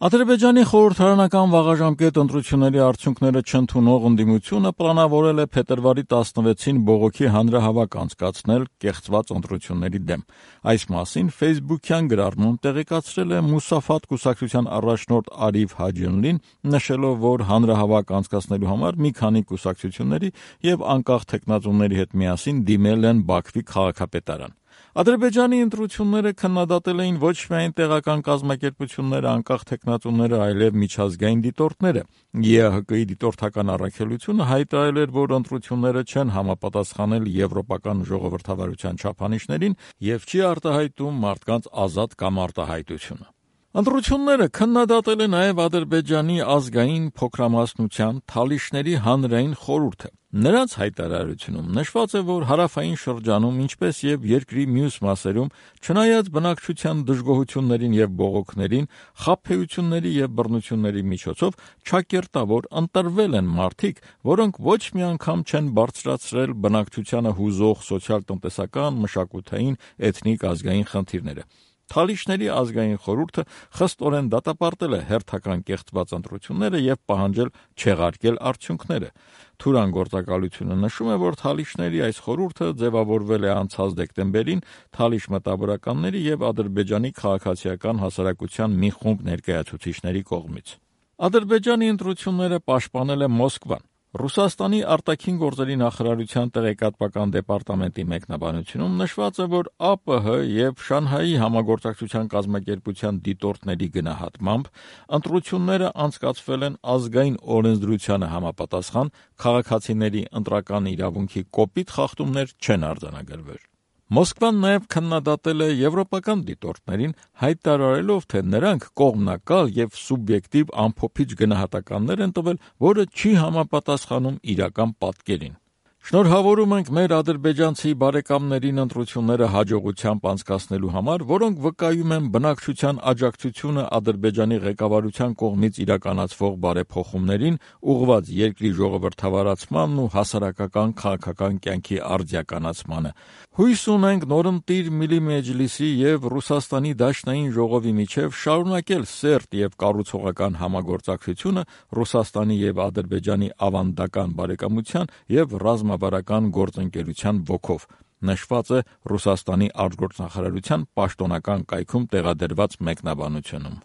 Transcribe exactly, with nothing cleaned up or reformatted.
Ադրբեջանի խորհրդարանական վաղաժամկետ ընտրությունների արդյունքները չընդունող ընդդիմությունը պլանավորել է փետրվարի տասնվեցին բողոքի հանրահավաք անցկացնել կեղծված ընտրությունների դեմ։ Այս մասին Facebook-յան գրառմում տեղեկացրել է Մուսաֆատ կուսակցության առաջնորդ Արիվ Հաջյոնլին, նշելով, որ հանրահավաք անցկացնելու համար մի քանի կուսակցությունների եւ անկախ թեկնածուների հետ միասին դիմել են Բաքվի քաղաքապետարան։ Ադրբեջանի ընտրությունները քննադատել էին ոչ միայն տեղական կազմակերպությունները, անկախ թեկնածուները, այլև միջազգային դիտորդները։ ԵԱՀԿ-ի դիտորդական առաքելությունը հայտարարել էր, որ ընտրությունները չեն համապատասխանել եվրոպական ժողովրդավարության չափանիշներին եւ չի արտահայտում մարդկանց ազատ կամ արտահայտությունը։ Ընտրությունները քննադատել է նաև Ադրբեջանի ազգային փոքրամասնության Թալիշների հանրային խորհուրդը։ Նրանց հայտարարությունում նշված է, որ հարավային շրջանում, ինչպես եւ երկրի մյուս մասերում, չնայած բնակչության դժգոհություններին եւ բողոքներին, խաբեությունների եւ բռնությունների միջոցով չակերտավոր ընտրվել են մարդիկ, որոնք ոչ մի անգամ չեն բարձրացրել բնակչությանը հուզող սոցիալ-տնտեսական, մշակութային, էթնիկ ազգային խնդիրները։ Թալիշների ազգային խորհուրդը խստորեն դատապարտել է հերթական կեղծված ընտրությունները եւ պահանջել չեղարկել արդյունքները։ Թուրան գործակալությունը նշում է, որ Թալիշների այս խորհուրդը ձևավորվել է անցած դեկտեմբերին Թալիշ մտավորականների եւ Ադրբեջանի քաղաքացիական հասարակության մի խումբ ներկայացուցիչների կողմից։ Ադրբեջանի ընտրությունները պաշտպանել է Մոսկվան։ Ռուսաստանի արտաքին գործերի նախարարության տեղեկատվական դեպարտամենտի մեկնաբանությունում նշված է, որ ԱՊՀ եւ Շանհայի համագործակցության կազմակերպության դիտորդների գնահատմամբ ընտրությունները անցկացվել են ազգային օրենսդրությանը համապատասխան, քաղաքացիների ընտրական իրավունքի կոպիտ խախտումներ չեն արձանագրվել։ Մոսկվան նաև քննադատել է եվրոպական դիտորդներին, հայտարարելով, թե նրանք կողմնակալ եւ սուբյեկտիվ ամփոփիչ գնահատականներ են տվել, որը չի համապատասխանում իրական պատկերին։ Շնորհավորում ենք մեր ադրբեջանցի բարեկամներին ընտրությունները հաջողությամբ անցկացնելու համար, որոնք վկայում են բնակչության աջակցությունը Ադրբեջանի ղեկավարության կողմից իրականացվող բարեփոխումներին, ուղղված երկրի ժողովրդավարացմանն ու հասարակական քաղաքական կյանքի արդիականացմանը։ Հույս ունենք նորընտիր Միլի Մեջլիսի եւ Ռուսաստանի Դաշնային ժողովի միջև շարունակել սերտ եւ կառուցողական համագործակցությունը Ռուսաստանի եւ Ադրբեջանի ավանդական բարեկամության եւ ռազմավարական գործընկերության ոգով, նշված է Ռուսաստանի արտգործնախարարության պաշտոնական կայքում տեղադրված մեկնաբանությունում։